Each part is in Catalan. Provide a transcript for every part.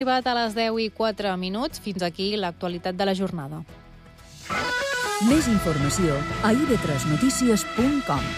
Arribat a les 10:04. Fins aquí l'actualitat de la jornada. Més informació a ib3notícies.com.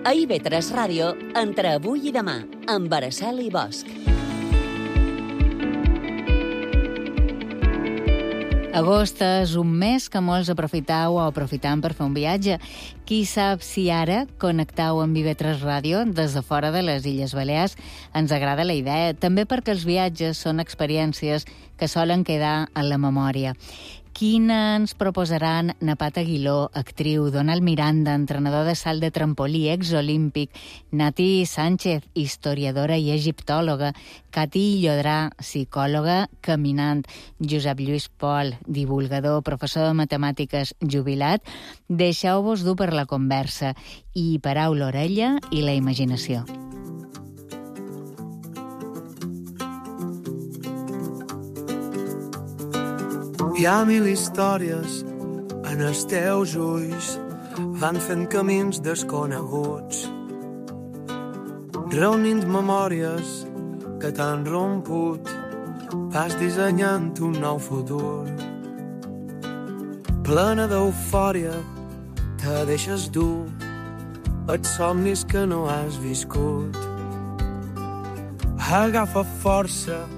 A IB3 Ràdio, entre avui i demà, amb Araceli Bosch. Agost és un mes que molts aprofitau o aprofitam per fer un viatge. Qui sap si ara connectau amb IB3 Ràdio des de fora de les Illes Balears ens agrada la idea, també perquè els viatges són experiències que solen quedar en la memòria. Quina ens proposaran Napat Aguiló, actriu, Donald Miranda, entrenador de salt de trampolí, exolímpic, Nati Sánchez, historiadora i egiptòloga, Cati Llodrà, psicòloga caminant, Josep Lluís Pol, divulgador, professor de matemàtiques jubilat. Deixeu-vos dur per la conversa i parau l'orella i la imaginació. Hi ha mil històries en els teus ulls, van fent camins desconeguts, reunint memòries que t'han romput, vas dissenyant un nou futur. Plena d'eufòria, te deixes dur, els somnis que no has viscut. Agafa força,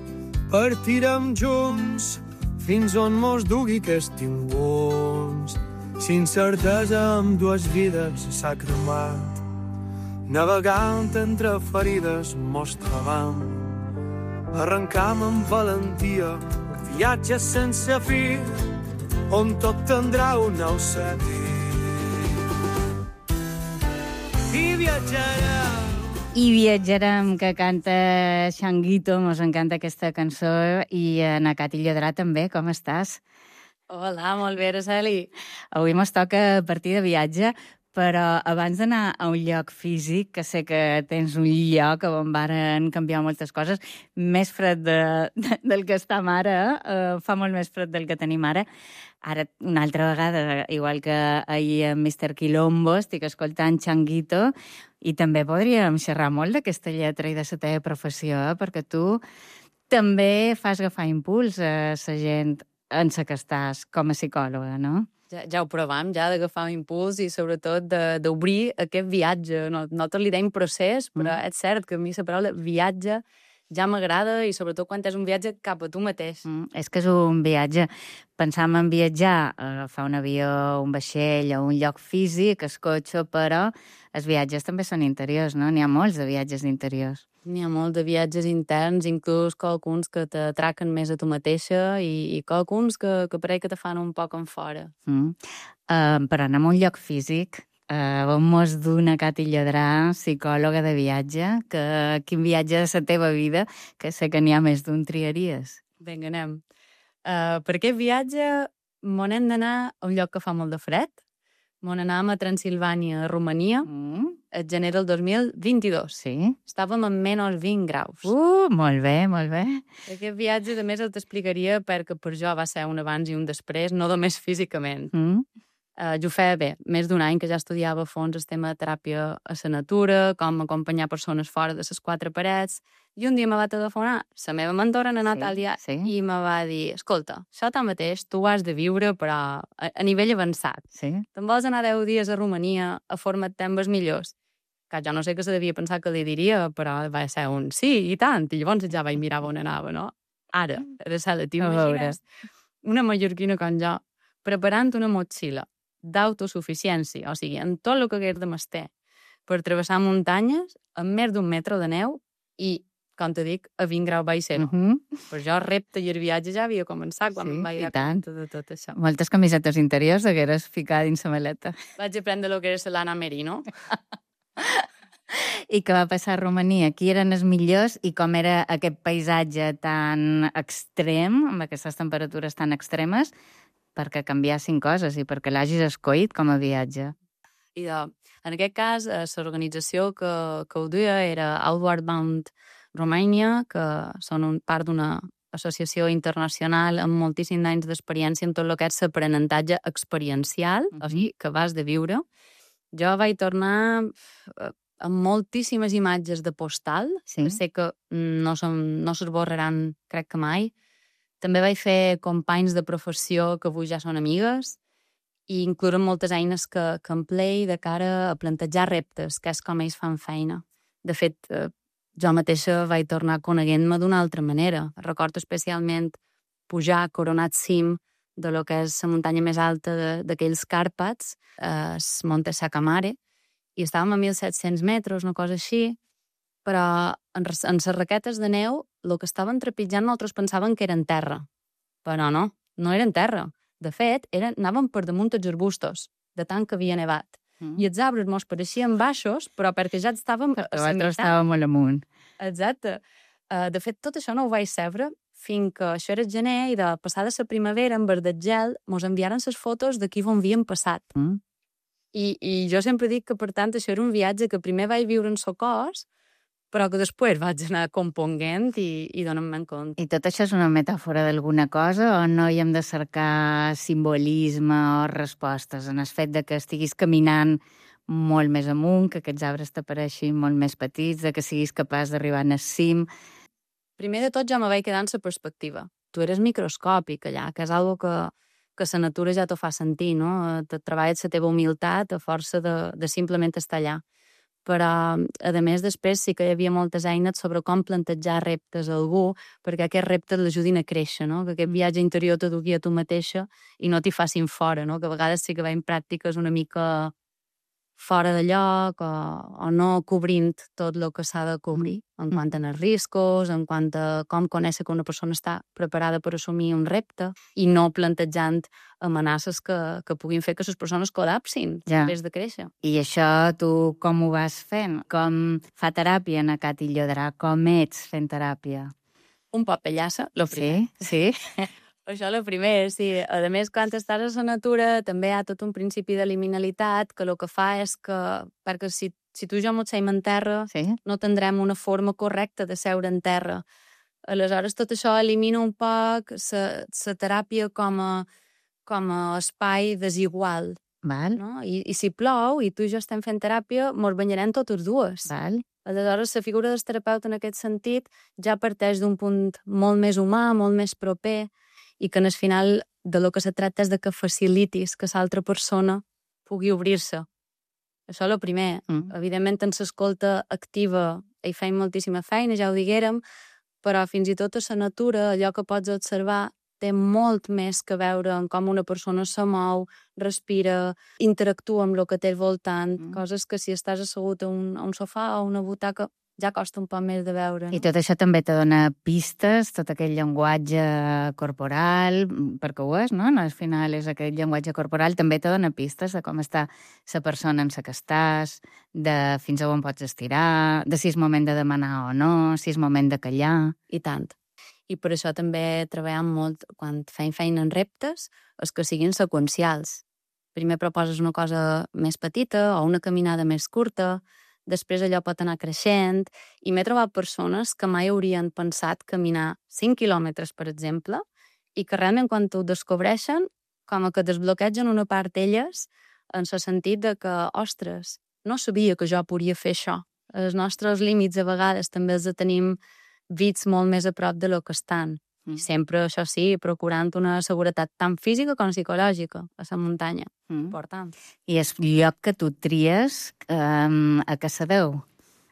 partirem junts, fins on mos dugui aquest impuls. Si incertesa amb dues vides s'ha cremat, navegant entre ferides mos trobam. Arrencam amb valentia, viatge sense fi, on tot tindrà un nou sentit. I viatjarem. I viatjarem, que canta Changuito, mos encanta aquesta cançó, i na Cati Llodrà també, com estàs? Hola, molt bé, Araceli. Avui mos toca partir de viatge, però abans d'anar a un lloc físic, que sé que tens un lloc on varen canviar moltes coses, més fred del que estem ara, fa molt més fred del que tenim ara. Ara, una altra vegada, igual que ahir amb Mr. Quilombo, estic escoltant Changuito, i també podríem xerrar molt d'aquesta lletra i de la teva professió, perquè tu també fas agafar impuls a la gent en la que estàs com a psicòloga, no? Ja ho provam, ja d'agafar un impuls i sobretot d'obrir aquest viatge. Nosaltres li deim procés, però és cert que a mi la paraula viatge ja m'agrada i sobretot quan és un viatge cap a tu mateix. És que és un viatge. Pensam en viatjar, agafar un avió, un vaixell o un lloc físic, el cotxe, però els viatges també són interiors, no? N'hi ha molts de viatges interiors. N'hi ha molts de viatges interns, inclús qualcuns que t'atraquen més a tu mateixa i qualcuns que pareix que te fan un poc en fora. Però anem a un lloc físic. On mos du na Cati Llodrà, psicòloga de viatge, quin viatge de la teva vida, que sé que n'hi ha més d'un, triaries. Vinga, anem. Per aquest viatge m'on hem d'anar a un lloc que fa molt de fred. M'on anàvem a Transilvània, a Romania, el gener del 2022. Sí? Estàvem a menys 20 graus. Molt bé, molt bé. Aquest viatge, a més, el t'explicaria perquè per jo va ser un abans i un després, no només físicament. Jo feia bé, més d'un any que ja estudiava a fons el tema de teràpia a la natura, com acompanyar persones fora de les quatre parets, i un dia me va telefonar la meva mentora, na Natàlia, i me va dir, escolta, això tanmateix tu ho has de viure, però a nivell avançat. Te'n vols anar 10 dies a Romania a formar-te amb els millors? Que jo no sé què se devia pensar que li diria, però va ser un sí, i tant, i llavors ja vaig mirar on anava, no? Ara, Araceli, t'imagines una mallorquina com jo preparant una motxilla d'autosuficiència, o sigui, en tot el que hagués de menester, per travessar muntanyes amb més d'un metre de neu i, com te dic, a 20 graus baix zero. Per jo el repte i el viatge ja havia començat quan em vaig dar compte de tot això. Moltes camisetes interiors hagueres ficat dins la maleta. Vaig aprendre el que era l'Anna Merino. I què va passar a Romania? Qui eren els millors i com era aquest paisatge tan extrem, amb aquestes temperatures tan extremes, perquè canviassin coses i perquè l'hagis escollit com a viatge? En aquest cas, l'organització que ho duia era Outward Bound Romania, que són part d'una associació internacional amb moltíssims anys d'experiència en tot el que és l'aprenentatge experiencial, o sigui, que vas de viure. Jo vaig tornar amb moltíssimes imatges de postal, que sé que no s'esborraran, crec que mai. També vaig fer companys de professió que avui ja són amigues i inclouen moltes eines que emplei de cara a plantejar reptes, que és com ells fan feina. De fet, jo mateixa vaig tornar coneguent-me d'una altra manera. Recordo especialment pujar a coronat cim de lo que és la muntanya més alta d'aquells Càrpats, el Monte Sacamare, i estàvem a 1.700 metres, una cosa així, però en les raquetes de neu el que estaven trepitjant nosaltres pensaven que eren terra. Però no eren terra. De fet, anàvem per damunt els arbustos, de tant que havia nevat. I els arbres mos pareixien baixos, però perquè ja estàvem a la meitat. Estàvem molt amunt. Exacte. De fet, tot això no ho vaig saber fins que això era gener i de passada la primavera, en verd del gel, mos enviaren les fotos d'aquí on havien passat. I jo sempre dic que, per tant, això era un viatge que primer vaig viure en el cos, però que després vaig anar componguent i donant-me'n compte. I tot això és una metàfora d'alguna cosa o no hi hem de cercar simbolisme o respostes en el fet de que estiguis caminant molt més amunt, que aquests arbres t'apareixin molt més petits, de que siguis capaç d'arribar al cim? Primer de tot jo me vaig quedar en la perspectiva. Tu eres microscòpic allà, que és algo que la natura ja t'ho fa sentir, no? Te treballes la teva humilitat a força de simplement estar allà. Però, a més, després sí que hi havia moltes eines sobre com plantejar reptes a algú perquè aquests reptes l'ajudin a créixer, no? Que aquest viatge interior te dugui a tu mateixa i no t'hi facin fora, no? Que a vegades sí que veiem pràctiques una mica fora de lloc o no cobrint tot el que s'ha de cobrir en quant a els riscos, en quant a com conèixer que una persona està preparada per assumir un repte i no plantejant amenaces que puguin fer que les persones col·lapsin després de créixer. I això tu com ho vas fent? Com fa teràpia na Cati Llodrà? Com ets fent teràpia? Un poc pellassa, lo primer. Sí? Això el primer, sí. A més, quan estàs a la natura també hi ha tot un principi de liminalitat que el que fa és que, perquè si tu i jo mos seiem en terra, no tindrem una forma correcta de seure en terra. Aleshores, tot això elimina un poc la teràpia com a espai desigual. Val. No? I si plou i tu i jo estem fent teràpia, mos banyarem totes dues. Val. Aleshores, la figura del terapeuta en aquest sentit ja parteix d'un punt molt més humà, molt més proper, i que en el final de lo que se tracta és de que facilitis que l'altra persona pugui obrir-se. Això és el primer. Evidentment, en l'escolta activa hi feim moltíssima feina, ja ho diguérem, però fins i tot a la natura, allò que pots observar té molt més que veure en com una persona se mou, respira, interactua amb el que té al voltant, coses que si estàs assegut a un sofà o una butaca ja costa un poc més de veure. I tot això també te dona pistes, tot aquell llenguatge corporal, perquè ho és, no? Al final és aquest llenguatge corporal, també te dona pistes de com està la persona en la que estàs, de fins a on pots estirar, de si és moment de demanar o no, si és moment de callar. I tant. I per això també treballem molt, quan fem feina en reptes, és que siguin seqüencials. Primer proposes una cosa més petita o una caminada més curta, després allò pot anar creixent, i m'he trobat persones que mai haurien pensat caminar 5 quilòmetres, per exemple, i que realment quan ho descobreixen, com que desbloquegen una part d'elles, en el sentit de que, ostres, no sabia que jo podia fer això. Els nostres límits a vegades també els tenim vits molt més a prop de lo que estan. I sempre, això sí, procurant una seguretat tant física com psicològica a la muntanya. Important. I el lloc que tu tries, a què se deu?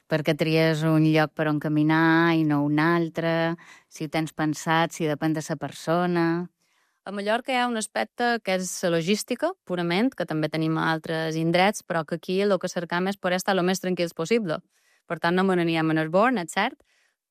Perquè tries un lloc per on caminar i no un altre, si ho tens pensat, si depèn de la persona. A Mallorca hi ha un aspecte que és la logística, purament, que també tenim a altres indrets, però que aquí el que cercam és poder estar el més tranquils possible. Per tant, no me n'anirem en el Born, és cert,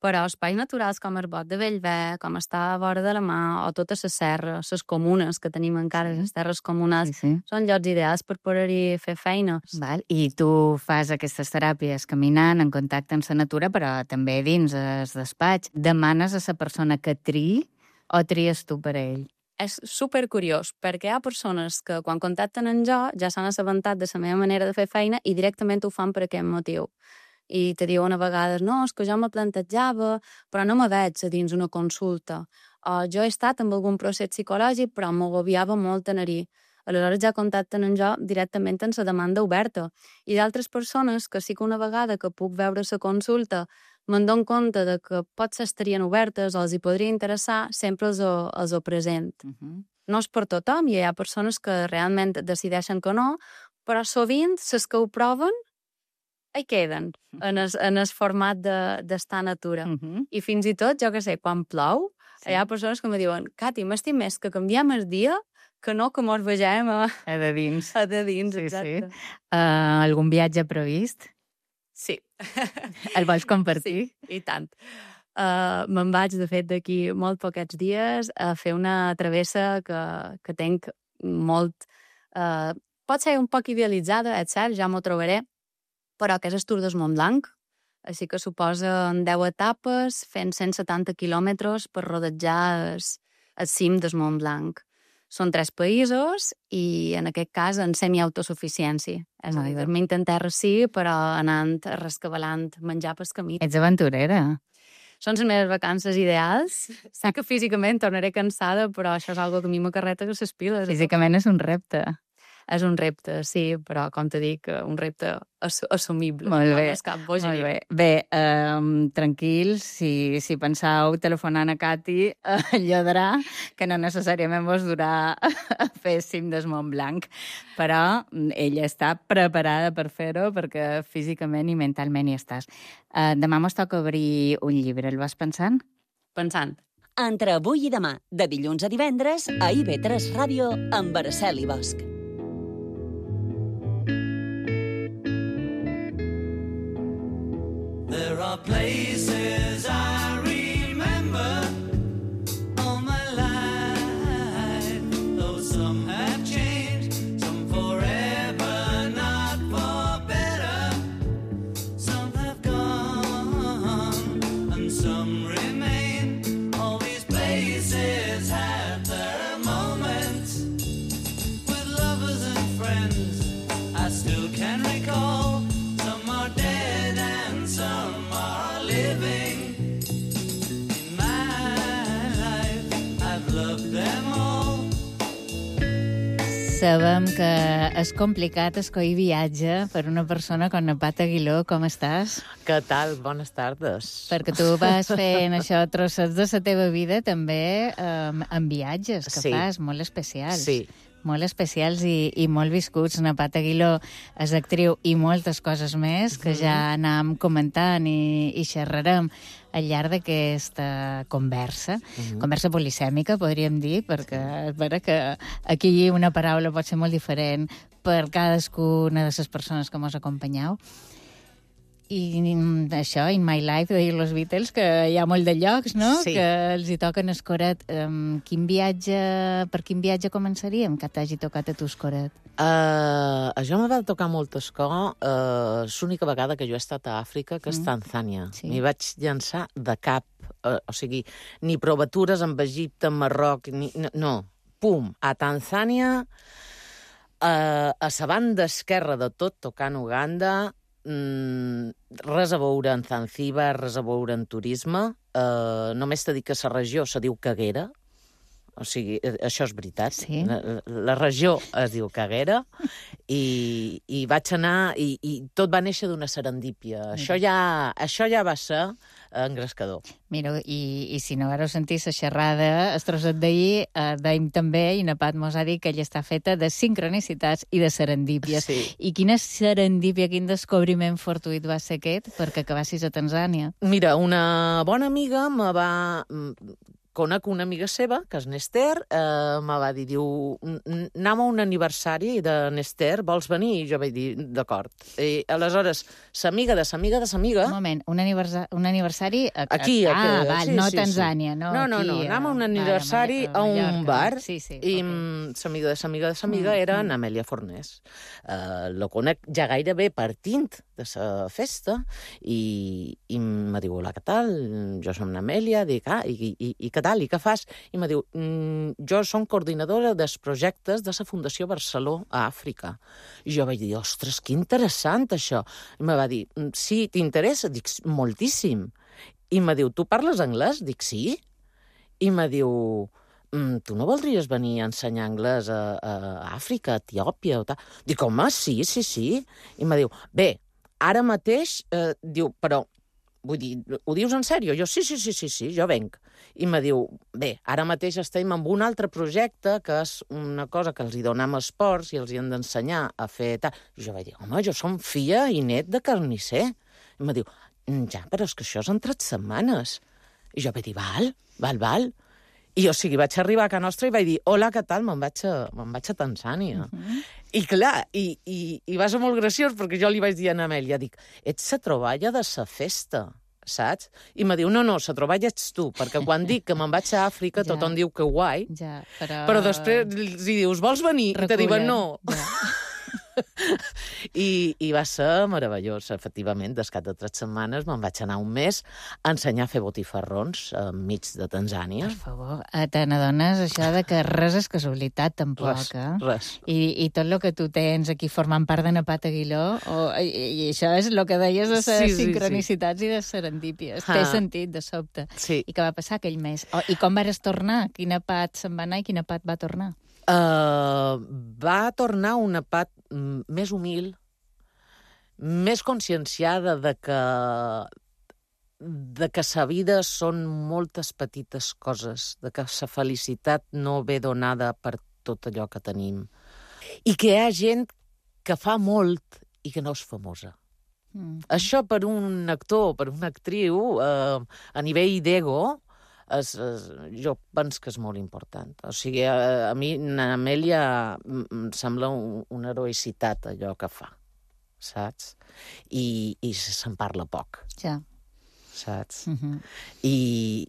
Però espais naturals com el Bot de Bellver, com està a vora de la Mar, o totes les serres, les comunes que tenim encara, les terres comunals, són llocs ideals per poder-hi fer feina. Val. I tu fas aquestes teràpies caminant, en contacte amb la natura, però també dins el despatx. Demanes a la persona que triï o tries tu per ell? És supercuriós, perquè hi ha persones que quan contacten amb jo ja s'han assabentat de la meva manera de fer feina i directament ho fan per aquest motiu. I te diuen a vegades, no, és que jo me plantejava, però no me veig a dins una consulta. O jo he estat amb algun procés psicològic, però m'agobiava molt anar-hi. Aleshores ja contacten amb jo directament en la demanda oberta. I d'altres persones que sí que una vegada que puc veure la consulta me'n dono compte de que potser estarien obertes o els hi podria interessar, sempre els ho present. No és per tothom, i hi ha persones que realment decideixen que no, però sovint les que ho proven hi queden, en el format d'estar a natura. I fins i tot, jo què sé, quan plou, hi ha persones que me diuen, Cati, m'estim més que canviem el dia que no que mos vegem a de dins. A de dins, exacte. Algun viatge previst? Sí. El vols compartir? Sí, i tant. Me'n vaig, de fet, d'aquí molt poquets dies a fer una travessa que tenc molt... pot ser un poc idealitzada, és cert, ja m'ho trobaré, però que és el Tour del Mont Blanc, així que suposen 10 etapes fent 170 quilòmetres per rodejar el cim del Mont Blanc. Són 3 països i, en aquest cas, en semiautosuficiència. És a dir, dormint en terra sí, però anant, rescabalant, menjar pel camí. Ets aventurera. Són les meves vacances ideals. Sé que físicament tornaré cansada, però això és una cosa que a mi m'acarreta que les piles. Físicament és un repte. És un repte, sí, però, com te dic, un repte assumible. Molt bé. No és cap bogeria. Bé, tranquils, si penseu telefonant a Cati, Llodrà, que no necessàriament vos durà a fer cim del Mont Blanc, però ella està preparada per fer-ho perquè físicament i mentalment hi estàs. Demà mos toca obrir un llibre, el vas pensant? Pensant. Entre avui i demà, de dilluns a divendres, a IB3 Ràdio, amb Araceli Bosch. There are places I remember all my life, though some have changed, some forever, not for better. Some have gone, and some remain. All these places have their moments with lovers and friends I still can recall. Some are dead and some are living. In my life, I've loved them all. Sabem que és complicat escollir viatge per una persona com na Pat Aguiló. Com estàs? Què tal? Bones tardes. Perquè tu vas fent això, trossets de la teva vida, també en viatges que fas, molt especials. Sí. Molt especials i molt viscuts. Na Pat Aguiló és actriu i moltes coses més que ja anàvem comentant i xerrarem al llarg d'aquesta conversa. Conversa polisèmica, podríem dir, perquè és vera que aquí una paraula pot ser molt diferent per cadascuna de les persones que mos acompanyeu. I això, In My Life, de dir los Beatles, que hi ha molt de llocs, no? Sí. Que els hi toquen escoret. Per quin viatge començaríem que t'hagi tocat a tu escoret? Jo me va tocar molt escó. És l'única vegada que jo he estat a Àfrica, que és Tanzània. Sí. M'hi vaig llançar de cap. O sigui, ni provatures amb Egipte, amb Marroc, no. Pum, a Tanzània, a la banda esquerra de tot, tocant Uganda, res a veure en Zanzíbar, res a veure en turisme. Només t'he dit que la regió se diu Caguera. O sigui, això és veritat. Sí. La regió es diu Caguera i vaig anar i tot va néixer d'una serendípia. Això ja va ser engrescador. Mira, i si no vareu sentir la xerrada, el trosset d'ahir, dèiem també, i na Pat mos ha dit que ella està feta de sincronicitats i de serendípies. Sí. I quina serendípia, quin descobriment fortuït va ser aquest perquè acabassis a Tanzània? Mira, una bona amiga conec una amiga seva, que és Nester, me va dir, diu, anem a un aniversari de Nester, vols venir? I jo vaig dir, d'acord. I aleshores, s'amiga de s'amiga de s'amiga... Un moment, un aniversari... Aquí. val, sí, no sí, Tanzània, no? No, anem a un aniversari a un bar, i s'amiga de s'amiga era en Amèlia Fornés. Lo conec ja gairebé partint de la festa i me diu, hola, què tal? Jo som Amèlia, dic, i què tal? I què fas? I me diu, jo som coordinadora dels projectes de la Fundació Barceló a Àfrica. I jo vaig dir, ostres, que interessant això. I me va dir, sí, t'interessa? Dic, moltíssim. I me diu, tu parles anglès? Dic, sí. I me diu, tu no voldries venir a ensenyar anglès a Àfrica, a Etiòpia o tal? Dic, home, sí. I me diu, bé, ara mateix, diu, però, vull dir, ho dius en sèrio? Jo, sí, jo venc. I me diu, bé, ara mateix estem en un altre projecte que és una cosa que els hi donem esports i els hi hem d'ensenyar a fer tal. I jo vaig dir, home, jo som filla i net de carnisser. I me diu, ja, però és que això és en 3 setmanes. I jo vaig dir, val. I o sigui, vaig arribar a casa nostra i vaig dir, hola, què tal? Me'n vaig a Tanzània. I clar, i va ser molt graciós, perquè jo li vaig dir a Amèlia, dic, ets la troballa de la festa, saps? I me diu, no, la troballa ets tu, perquè quan dic que me'n vaig a Àfrica, tothom diu que guai, però després els dius, vols venir? I te diuen no. I va ser meravellós, efectivament. Descat de 3 setmanes me'n vaig anar un mes a ensenyar a fer botifarrons enmig de Tanzània. Per favor, te n'adones això de que res és casualitat, tampoc, Res. I tot el que tu tens aquí formant part de Napat Aguiló, i això és el que deies de les sincronicitats i de serendípies. Té sentit, de sobte. Sí. I què va passar aquell mes? I com vares tornar? Quina Pat se'n va anar i quina Pat va tornar? Va tornar una Pat més humil, més conscienciada de que sa vida són moltes petites coses, de que sa felicitat no ve donada per tot allò que tenim. I que hi ha gent que fa molt i que no és famosa. Això per un actor, per una actriu, a nivell d'ego, jo penso que és molt important. O sigui, a mi, Amèlia, em sembla una heroïcitat allò que fa, saps? I se'n parla poc. Ja. Saps? I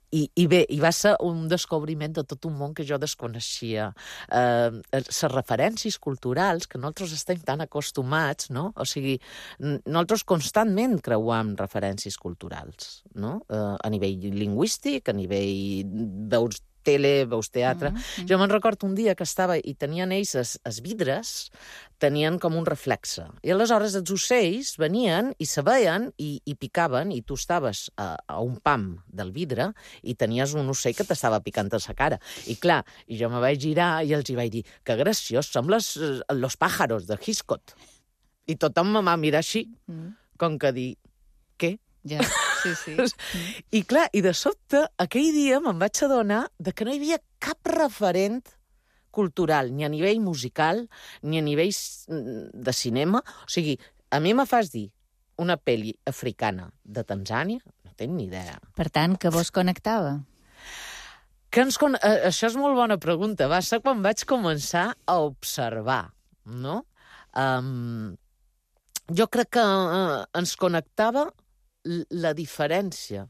bé, i va ser un descobriment de tot un món que jo desconeixia. Les referències culturals, que nosaltres estem tan acostumats, no? O sigui, nosaltres constantment creuam referències culturals, no? A nivell lingüístic, a nivell veus tele, veus teatre... Jo me'n recordo un dia que estava i tenien ells els vidres, tenien com un reflexe. I aleshores els ocells venien i se veien i picaven, i tu estaves a un pam del vidre i tenies un ocell que t'estava picant a la cara. I clar, i jo me vaig girar i els hi vaig dir, que graciós, som los pájaros de Hitchcock. I tothom me va mirar així, com que dir, què? Ja, sí. I clar, i de sobte, aquell dia me'n vaig adonar de que no hi havia cap referent cultural, ni a nivell musical, ni a nivell de cinema. O sigui, a mi me fas dir una pel·li africana de Tanzània, no tinc ni idea. Per tant, què vos connectava? Això és molt bona pregunta. Va ser quan vaig començar a observar, no? Jo crec que ens connectava la diferència.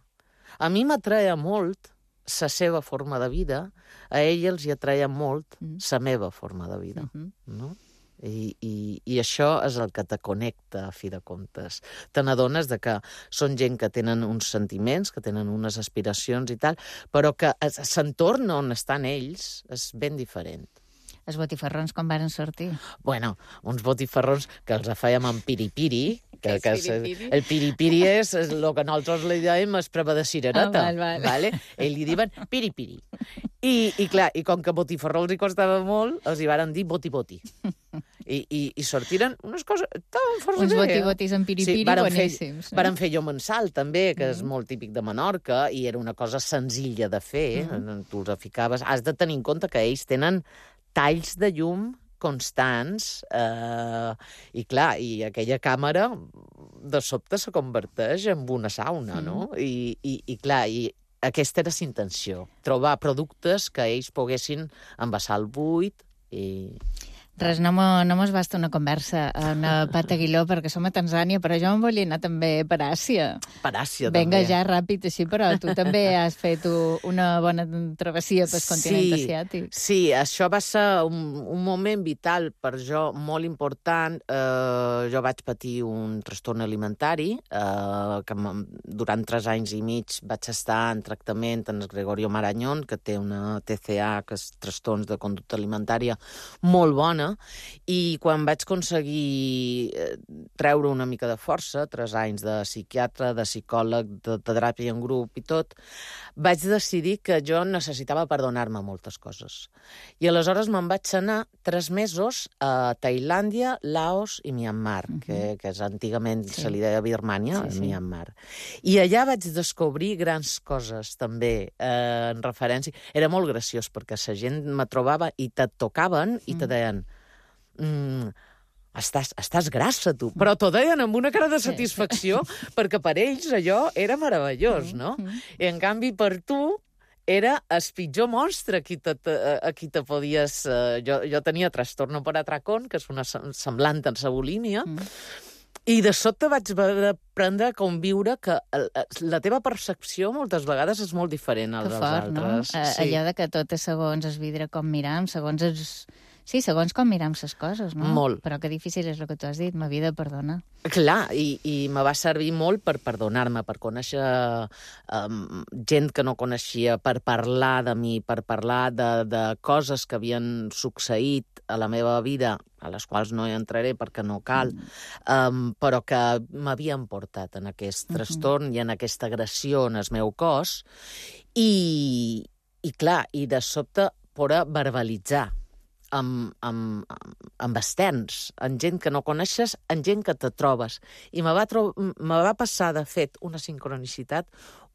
A mi m'atreia molt la seva forma de vida, a ell els hi atreia molt la meva forma de vida, no? I això és el que te connecta, a fi de comptes. Te n'adones de que són gent que tenen uns sentiments, que tenen unes aspiracions i tal, però que l'entorn on estan ells és ben diferent. Els botifarrons com varen sortir? Bueno, uns botifarrons que els fèiem amb piripiri, el piripiri és el que nosaltres li dèiem és prova de cirereta. Vale? Ells li diuen piripiri. I clar, i com que botifarró els hi costava molt, els hi varen dir boti-boti. I sortiren unes coses... Uns boti-botis amb piripiri boníssims. Varen fer llomensal, també, que és molt típic de Menorca, i era una cosa senzilla de fer. Tu els ficaves... Has de tenir en compte que ells tenen talls de llum constants, i clar, i aquella càmera de sobte se converteix en una sauna, no? I clar, i aquesta era la intenció, trobar productes que ells poguessin envasar al buit i... Res, no mos basta una conversa amb Pat Aguiló, perquè som a Tanzània, però jo em volia anar també per Àsia. Per Àsia, Venga, també. ja ràpid així, però tu també has fet una bona travessia pel continent asiàtic. Sí, això va ser un moment vital per jo, molt important. Jo vaig patir un trastorn alimentari, que durant 3 anys i mig vaig estar en tractament en el Gregorio Marañón, que té una TCA, que és trastorns de conducta alimentària, molt bona, i quan vaig aconseguir treure una mica de força, 3 anys de psiquiatre, de psicòleg, de teràpia en grup i tot, vaig decidir que jo necessitava perdonar-me moltes coses. I aleshores me'n vaig anar 3 mesos a Tailàndia, Laos i Myanmar, que és antigament se li deia Birmània, Myanmar. I allà vaig descobrir grans coses, també, en referència. Era molt graciós, perquè la gent me trobava i te tocaven i te deien estàs grassa, tu. Però t'ho deien amb una cara de satisfacció, perquè per ells allò era meravellós, no? I en canvi per tu era el pitjor monstre a qui te podies... Jo tenia trastorno per atracón, que és una semblant en la bulímia, i de sobte vaig aprendre a conviure que la teva percepció moltes vegades és molt diferent a les altres. Que fort, no? Allò de que tot és segons el vidre com miram, segons com miram les coses, no? Molt. Però que difícil és el que tu has dit, m'havia de perdonar. Clar, i me va servir molt per perdonar-me, per conèixer gent que no coneixia, per parlar de mi, per parlar de coses que havien succeït a la meva vida, a les quals no hi entraré perquè no cal, però que m'havien portat en aquest trastorn i en aquesta agressió en el meu cos. I clar, i de sobte poder verbalitzar amb externs, amb gent que no coneixes, amb gent que te trobes. I me va passar, de fet, una sincronicitat,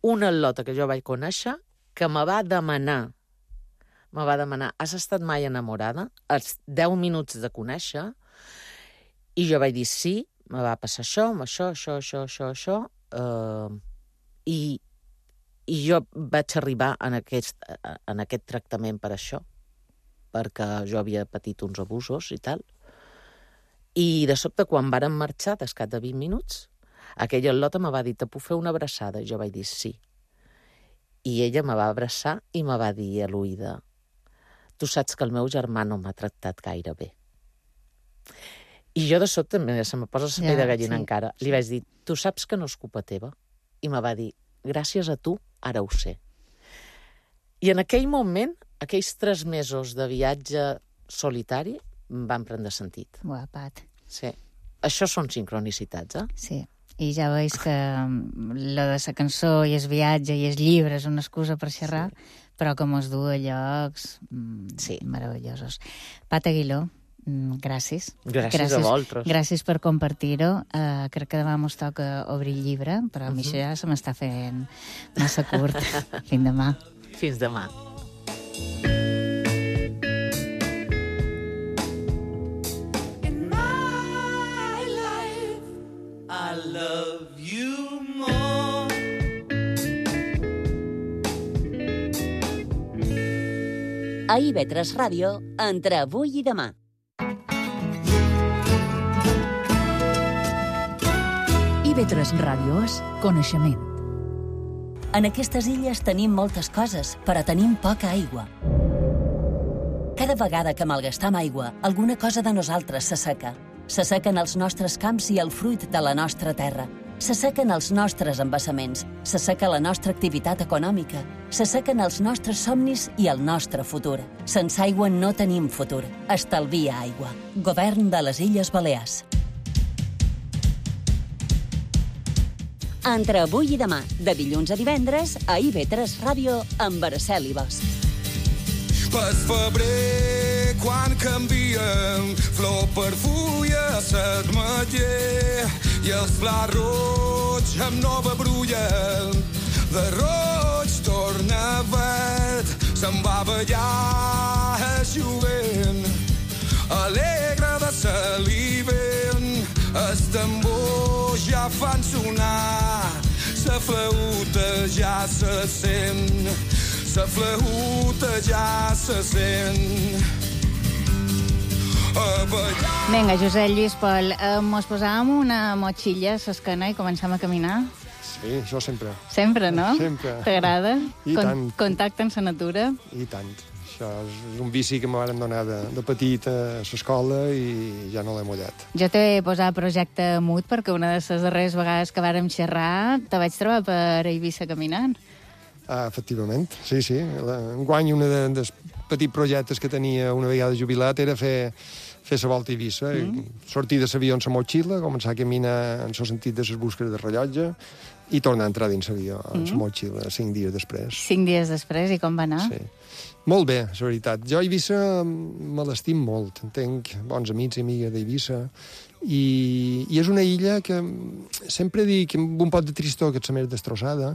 una al·lota que jo vaig conèixer, que me va demanar, has estat mai enamorada? Als 10 minuts de conèixer, i jo vaig dir sí, me va passar això, i jo vaig arribar en aquest tractament per això, perquè jo havia patit uns abusos i tal. I de sobte, quan vàrem marxar, d'escat de 20 minuts, aquella al·lota me va dir, te puc fer una abraçada? I jo vaig dir sí. I ella me va abraçar i me va dir a l'oïda, tu saps que el meu germà no m'ha tractat gaire bé. I jo de sobte, se me posa la pell de gallina encara, li vaig dir, tu saps que no és culpa teva? I me va dir, gràcies a tu, ara ho sé. I en aquell moment, aquells 3 mesos de viatge solitari van prendre sentit. Guapat. Sí. Això són sincronicitats, Sí. I ja veus que la de la cançó i el viatge i el llibre és una excusa per xerrar, però que mos du a llocs meravellosos. Pat Aguiló, gràcies. Gràcies a vosaltres. Gràcies per compartir-ho. Crec que demà mos toca obrir el llibre, però a mi això ja se m'està fent massa curt. Fins demà. Fins demà. In my life, I love you more. A IB3 Ràdio, entre avui i demà. IB3 Ràdio és coneixement. En aquestes illes tenim moltes coses, però tenim poca aigua. Cada vegada que malgastam aigua, alguna cosa de nosaltres s'asseca. S'assequen els nostres camps i el fruit de la nostra terra. S'assequen els nostres embassaments, s'asseca la nostra activitat econòmica, s'assequen els nostres somnis i el nostre futur. Sense aigua no tenim futur. Estalvia aigua. Govern de les Illes Balears. Entre avui i demà, de dilluns a divendres, a IB3 Ràdio, amb Araceli Bosch. Per febrer, quan canvien flor per fulla, s'admetller i els plats roig amb nova brulla. De roig torna verd, se'n va ballar el jovent, alegre de salivent. Els tambors ja fan sonar sa flauta ja se sent, sa flauta ja se sent. Vinga, Josep Lluís Pol, mos posàvem una motxilla a l'esquena i començam a caminar? Sí, això sempre. Sempre, no? Sempre. T'agrada? I tant. Contacte amb la natura? I tant. Això és un vici que me van donar de petit a l'escola i ja no l'he mullat. Jo t'he posat projecte Mut perquè una de les darreres vegades que vàrem xerrar te vaig trobar per Eivissa caminant. Efectivament, sí. Enguany un dels petits projectes que tenia una vegada jubilat era fer la volta a Eivissa, sortir de l'avió amb la motxilla, començar a caminar en el sentit de les busques de rellotge i tornar a entrar dins l'avió amb la motxilla 5 dies després. 5 dies després, i com va anar? Sí. Molt bé, és veritat. Jo a Eivissa me l'estim molt. Tenc bons amics i amigues d'Eivissa i és una illa que sempre dic amb un pot de tristor que és la més destrossada,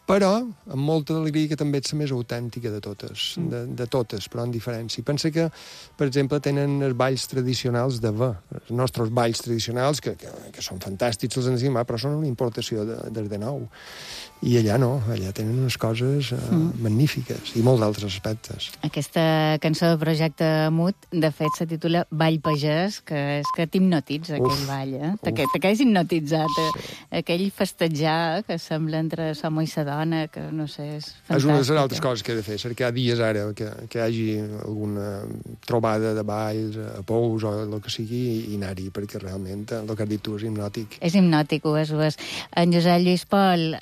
però amb molta alegria que també és la més autèntica de totes, de totes, però en diferència. Pensa que, per exemple, tenen els balls tradicionals de ve, els nostres balls tradicionals, que són fantàstics, els ensenyem, però són una importació des de nou. I allà no, allà tenen unes coses magnífiques i molts altres aspectes. Aquesta cançó de Projecte Mut, de fet, se titula Ball Pagès, que és que t'hipnotitza aquell ball, eh? Te quedes hipnotitzat. Sí. Aquell festejar que sembla entre l'home i la dona, que no sé, és fantàstic. És una de les altres coses que he de fer, cercar dies ara que hi hagi alguna trobada de balls, a Pous o el que sigui, i anar-hi, perquè realment el que has dit tu és hipnòtic. És hipnòtic, ho és. En Josep Lluís Pol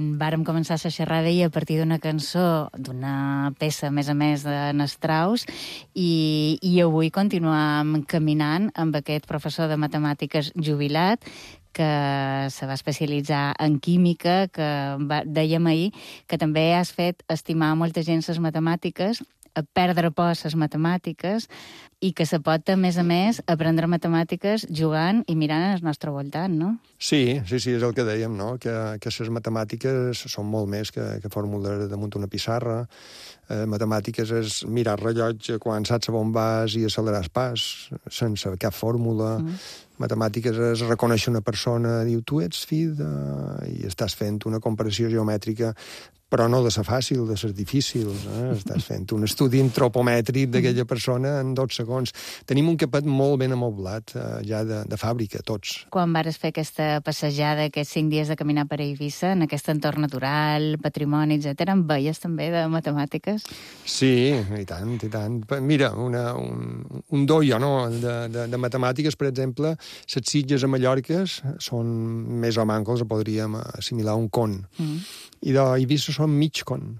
vàrem començar la xerrada a partir d'una cançó, d'una peça, a més, de Strauss, i avui continuam caminant amb aquest professor de matemàtiques jubilat, que se va especialitzar en química, que dèiem ahir que també has fet estimar molta gent les matemàtiques, a perdre por a les matemàtiques, i que se pot, a més, aprendre matemàtiques jugant i mirant al nostre voltant, no? Sí, és el que dèiem, no? Que les matemàtiques són molt més que fórmules damunt una pissarra. Matemàtiques és mirar el rellotge quan saps on vas i accelerar el pas, sense cap fórmula. Matemàtiques és reconèixer una persona, diu, tu ets fill de... i estàs fent una comparació geomètrica, però no de ser fàcil, de ser difícil. Estàs fent un estudi antropomètric d'aquella persona en 2 segons. Tenim un capet molt ben amoblat, ja de fàbrica, tots. Quan vares fer aquesta passejada, aquests 5 dies de caminar per Eivissa, en aquest entorn natural, patrimoni, etc., en veies també de matemàtiques? Sí, i tant, i tant. Mira, un doio, no?, de matemàtiques, per exemple, les Sitges a Mallorca són més o manco, els podríem assimilar a un con. I d'Eivissa són mig con.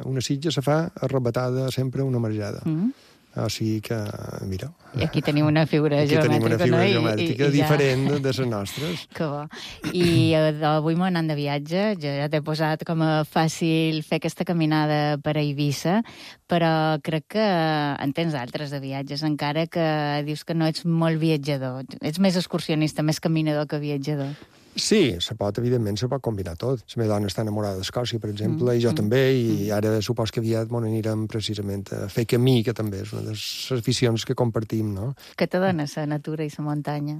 Una sitja se fa arrebatada sempre una marjada. O sigui que, mira... I aquí tenim una figura geomètrica, no? Aquí tenim una figura geomètrica diferent de les nostres. Que bo. I avui m'ho anant de viatge, jo ja t'he posat com a fàcil fer aquesta caminada per Eivissa, però crec que en tens altres de viatges, encara que dius que no ets molt viatjador. Ets més excursionista, més caminador que viatjador. Sí, evidentment se pot combinar tot. La meva dona està enamorada d'Escòcia, per exemple, i jo també, i ara supos que aviat m'on anirem precisament a fer camí, que també és una de les aficions que compartim, no? Què te dona la natura i la muntanya?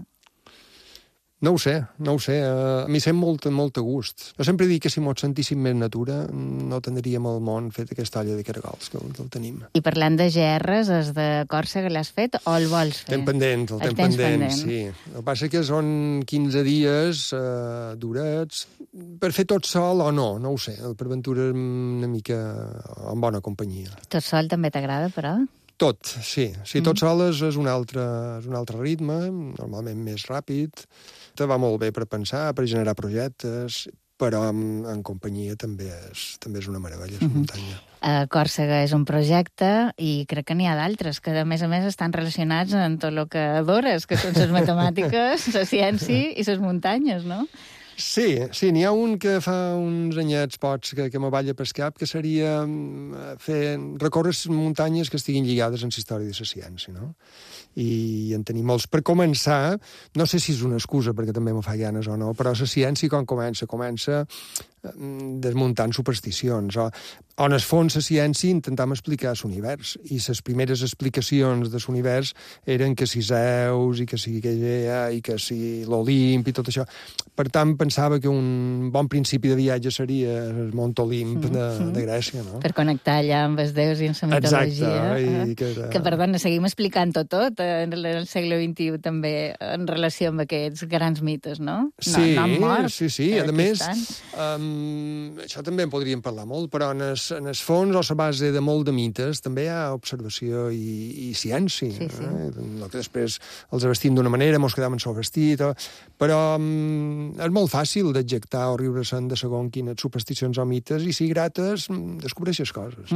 No ho sé. A mi sent molt a gust. Jo sempre dic que si mos sentíssim més natura no tindríem el món fet aquesta olla de caragols, que el tenim. I parlant de GRs, els de Còrsega l'has fet o el vols fer? El tens pendent, sí. El que passa que són 15 dies durets. Per fer tot sol o no ho sé. Per aventura una mica en bona companyia. Tot sol també t'agrada, però? Tot, sí. Tot sol és un altre ritme, normalment més ràpid. Te va molt bé per pensar, per generar projectes, però en companyia també és una meravella, la muntanya. Còrsega és un projecte i crec que n'hi ha d'altres que, a més, estan relacionats amb tot el que adores, que són les matemàtiques, la ciència i les muntanyes, no? Sí, n'hi ha un que fa uns anyets pots que me balla pel cap, que seria recórrer les muntanyes que estiguin lligades amb la història de la ciència, no? I en tenim molts. Per començar, no sé si és una excusa perquè també me fa ganes o no, però la ciència quan comença desmuntant supersticions. On es fons la ciència intentam explicar l'univers, i les primeres explicacions de l'univers eren que si Zeus, i que si Gaia, i que si l'Olimp, i tot això. Per tant, pensava que un bon principi de viatge seria el Mont Olimp de Grècia, no? Per connectar allà amb els déus i amb la mitologia. Exacte. Que, perdona, seguim explicant-ho tot en el segle XXI també en relació amb aquests grans mites, no? Sí, no han mort. Sí. A més, això també en podríem parlar molt, però en el fons o la base de molt de mites també hi ha observació i ciència. Sí. Que després els vestim d'una manera, mos quedam en el vestit, però és molt fàcil d'adjectar o riure-se'n de segons quines supersticions o mites, i si grates, descobreixes coses.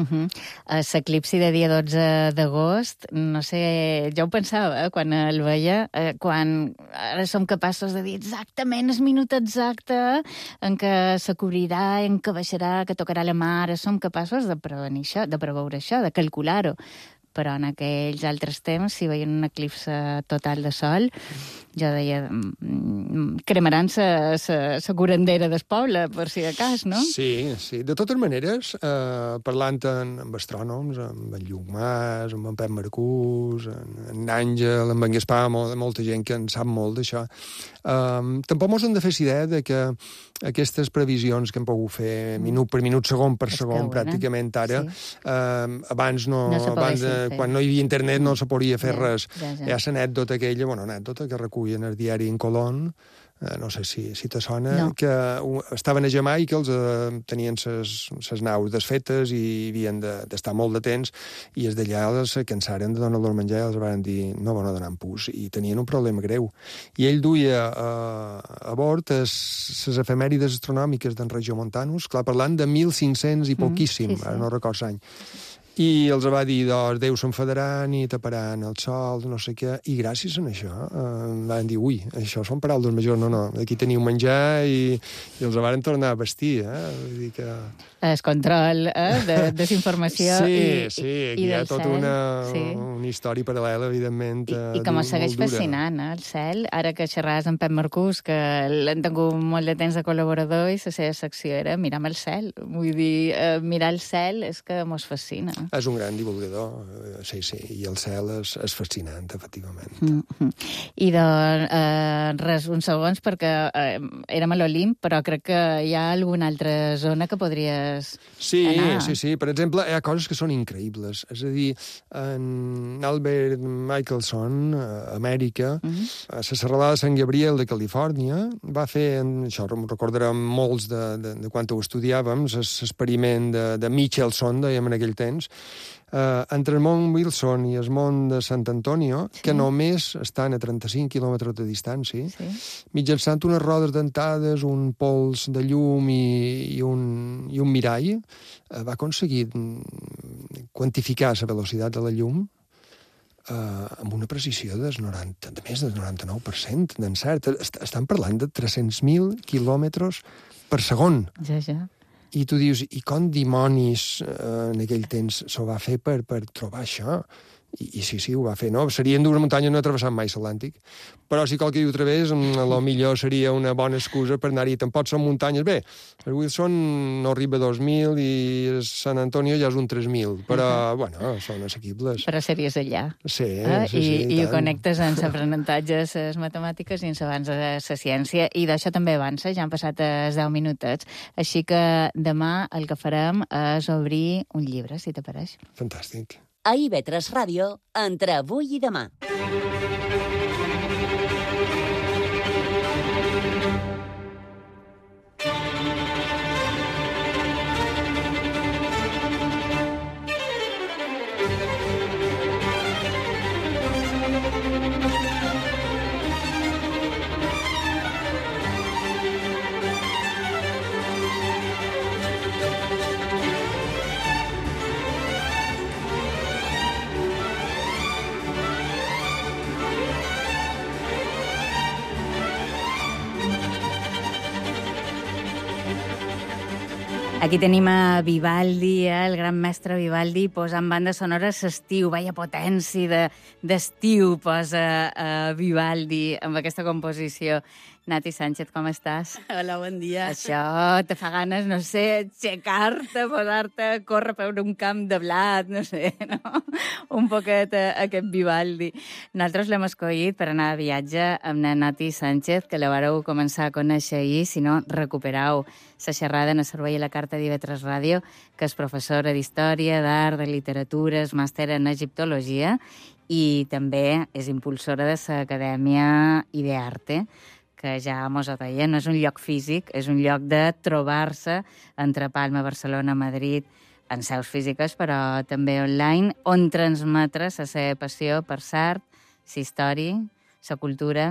L'eclipsi de dia 12 d'agost, no sé, jo ho pensava quan el veia, quan ara som capaços de dir exactament el minut exacte en què se cobrirà, en què baixarà, que tocarà la mar, som capaços de prevenir això, de preveure això, de calcular-ho. Però en aquells altres temps, si veien un eclipse total de sol, jo deia, cremaran la curandera del poble, per si de cas, no? Sí. De totes maneres, parlant amb astrònoms, amb en Lluc Mas, amb en Pep Marcús, en Àngel, amb en Gaspar, molta gent que en sap molt d'això, tampoc mos hem de fer idea de que aquestes previsions que hem pogut fer minut per minut, segon per segon, pràcticament ara, abans quan no hi havia internet no se podia fer res. Hi ha l'anècdota aquella, anècdota que recullen el diari en Colón, no sé si te sona, que estaven a Jamaica, tenien ses naus desfetes i havien d'estar molt de temps, i els d'allà se cansaren de donar-los menjar i els van dir no van donar pus, i tenien un problema greu. I ell duia a bord les efemèrides astronòmiques d'en Regiomontanus, clar, parlant de 1500 i poquíssim, ara no recordo l'any. I els va dir, els déus s'enfadaran i taparan el sol, no sé què, i gràcies a això van dir, això són paraules majors, no, aquí teniu menjar, i els van tornar a vestir, Vull dir que... El control de desinformació i aquí hi ha tota una història paral·lela, evidentment, I com es segueix fascinant, el cel. Ara que xerraves amb Pep Marcús, que l'han tingut molt de temps de col·laborador, i la seva secció era mirar el cel. Vull dir, mirar el cel és que mos fascina. És un gran divulgador, sí, i el cel és fascinant, efectivament. I res, uns segons, perquè érem a l'Olimp, però crec que hi ha alguna altra zona que podries anar. Sí. Per exemple, hi ha coses que són increïbles. És a dir, en Albert Michelson, a Amèrica, a la serralada de Sant Gabriel de Califòrnia, va fer, això ho recordarem molts de quan ho estudiàvem, l'experiment de Michelson, dèiem en aquell temps, entre el Mont Wilson i el Mont de Sant Antonio, que només estan a 35 quilòmetres de distància, mitjançant unes rodes dentades, un pols de llum i un mirall, va aconseguir quantificar la velocitat de la llum amb una precisió de més del 99% d'encert. Estan parlant de 300.000 quilòmetres per segon. Ja. I tu dius, i com dimonis en aquell temps s'ho va fer per trobar això? I sí, ho va fer, no? Serien d'una muntanya, no he travessat mai l'Atlàntic, però si qualque dia ho través, millor seria una bona excusa per anar-hi. Tampoc són muntanyes. Bé, el Wilson no arriba a 2.000 i el Sant Antonio ja és un 3.000, però, són assequibles. Però series allà. Sí, I ho connectes amb l'aprenentatge, les matemàtiques i amb l'abans de la ciència, i d'això també avança, ja han passat els 10 minutets, així que demà el que farem és obrir un llibre, si t'apareix. Fantàstic. A IB3 Ràdio, entre avui i demà. Aquí tenim a Vivaldi, el gran mestre Vivaldi, posant bandes sonores l'estiu. Vaya potència d'estiu posa Vivaldi amb aquesta composició Nati Sánchez, com estàs? Hola, bon dia. Això te fa ganes, no sé, aixecar-te, posar-te a córrer per un camp de blat, no sé, no? Un poquet aquest Vivaldi. Nosaltres l'hem escollit per anar de viatge amb la Nati Sánchez, que la vareu començar a conèixer ahir, si no, recuperau la xerrada en el servei a la carta d'IV3 Ràdio, que és professora d'Història, d'Art, de Literatura, és màster en Egiptologia i també és impulsora de l'Acadèmia Idearte, que ja mos ho deia, no és un lloc físic, és un lloc de trobar-se entre Palma, Barcelona, Madrid, en seus físiques, però també online, on transmetre la seva passió per l'art, la història, la cultura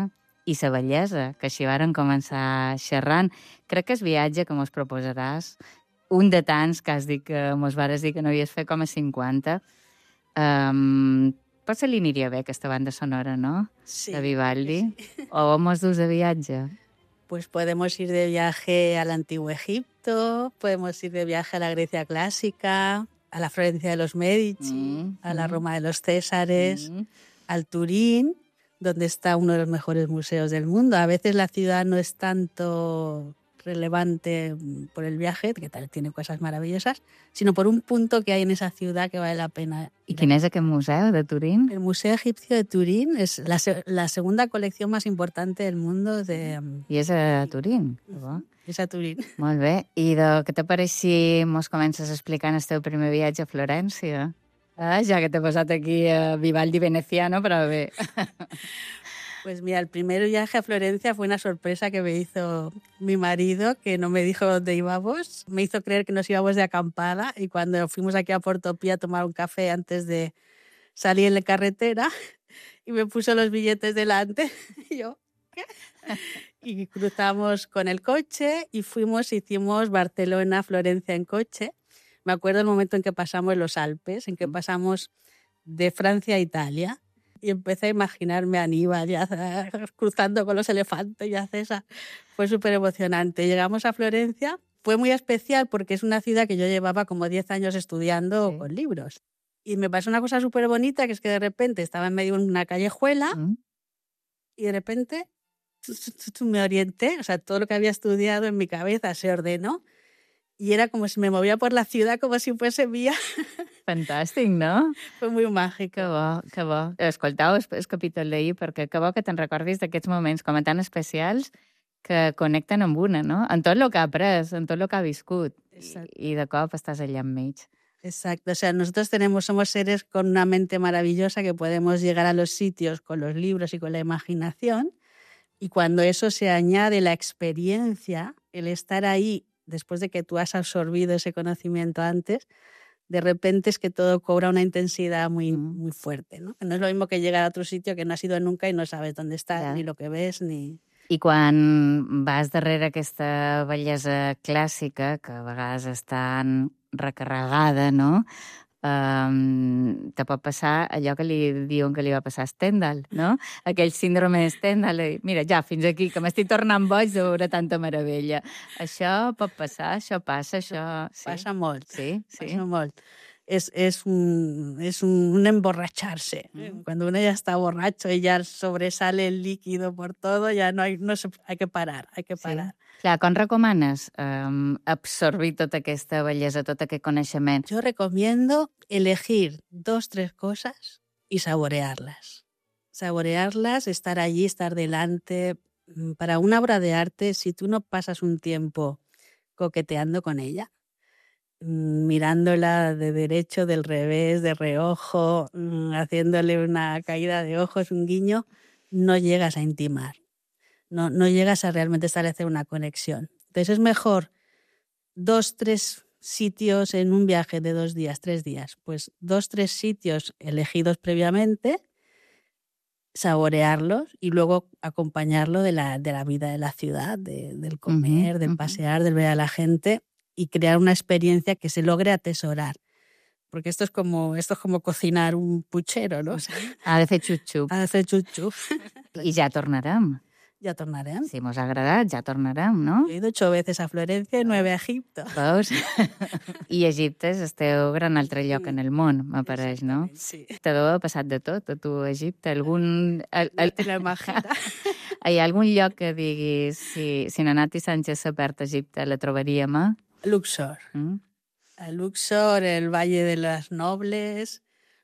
i la bellesa, que així varen començar xerrant. Crec que és viatge que mos proposaràs, un de tants que has dit que mos vares dir que no havies fet com a 50. Potser li aniria bé aquesta banda sonora, ¿no? Sí. De Vivaldi. Sí. O mos dus de viatge. Pues podemos ir de viaje al Antiguo Egipto, podemos ir de viaje a la Grecia clásica, a la Florencia de los Medici, a la Roma de los Césares, al Turín, donde está uno de los mejores museos del mundo. A veces la ciudad no es tanto relevante por el viaje, que tal tiene cosas maravillosas, sino por un punto que hay en esa ciudad que vale la pena. ¿Y quién es aquel museo de Turín? El Museo Egipcio de Turín es la segunda colección más importante del mundo de... I és a Turín? És a Turín. Molt bé. I què te pareix si mos comences explicant el teu primer viatge a Florència? Ja que t'he posat aquí Vivaldi veneciano, però bé. Pues mira, el primer viaje a Florencia fue una sorpresa que me hizo mi marido, que no me dijo dónde íbamos. Me hizo creer que nos íbamos de acampada y cuando fuimos aquí a Portopí a tomar un café antes de salir en la carretera y me puso los billetes delante y yo, ¿qué? Y cruzamos con el coche y hicimos Barcelona, Florencia en coche. Me acuerdo el momento en que pasamos los Alpes, en que pasamos de Francia a Italia. Y empecé a imaginarme a Aníbal ya cruzando con los elefantes y a César. Fue súper emocionante. Llegamos a Florencia. Fue muy especial porque es una ciudad que yo llevaba como 10 años estudiando con libros. Y me pasó una cosa súper bonita, que es que de repente estaba en medio de una callejuela y de repente me orienté. O sea, todo lo que había estudiado en mi cabeza se ordenó. Y era como si me movia por la ciudad como si fuese mía. Fantàstic, no? Fue muy mágico. Que bo, que bo. Escoltau el capítol d'ahir, perquè que bo que te'n recordis d'aquests moments com a tan especials que connecten amb una, no? En tot el que ha après, en tot el que ha viscut. I de cop estàs allà enmig. Exacto. O sea, nosotros somos seres con una mente maravillosa que podemos llegar a los sitios con los libros y con la imaginación. Y cuando eso se añade la experiencia, el estar ahí después de que tú has absorbido ese conocimiento antes, de repente es que todo cobra una intensidad muy, muy fuerte, ¿no? No es lo mismo que llegar a otro sitio que no has ido nunca y no sabes dónde estás, ni lo que ves, ni... I quan vas darrere aquesta bellesa clàssica, que a vegades és tan recarregada, no? Te pot passar allò que li diuen que li va passar a Stendhal, no? Aquell síndrome de Stendhal. Mira, ja, fins aquí, que m'estic tornant boig de veure tanta meravella. Això pot passar, això passa, això... Sí. Passa molt. Sí, sí. Passa molt. Es un emborracharse. Cuando uno ya está borracho y ya sobresale el líquido por todo, ya hay que parar, hay que parar. Sí. Clar, com recomanes absorbir tota aquesta bellesa, tot aquest coneixement? Yo recomiendo elegir 2, 3 cosas y saborearlas. Saborearlas, estar allí, estar delante. Para una obra de arte, si tú no pasas un tiempo coqueteando con ella, mirándola de derecho, del revés, de reojo, haciéndole una caída de ojos, un guiño, no llegas a intimar. No llegas a realmente establecer una conexión. Entonces es mejor 2, 3 sitios en un viaje de 2 días, 3 días. Pues 2, 3 sitios elegidos previamente, saborearlos y luego acompañarlo de la vida de la ciudad, del comer, del pasear, del ver a la gente y crear una experiencia que se logre atesorar. Porque esto es como cocinar un puchero, ¿no? O sea, ha de fer xup-xup. Ha de fer xup-xup. I ja tornarem. Ja tornarem. Si mos ha agradat, ja tornarem, no? He ido 8 veces a Florencia y 9 a Egipto. Veus? I Egipte és el teu gran altre lloc en el món, m'apareix, no? Sí. Te deu haver passat de tot, a tu, a Egipte. Hi ha algun lloc que diguis, si na Nati Sánchez s'ha perd a Egipte, la trobaríem, Luxor. Luxor, el Valle de las Nobles,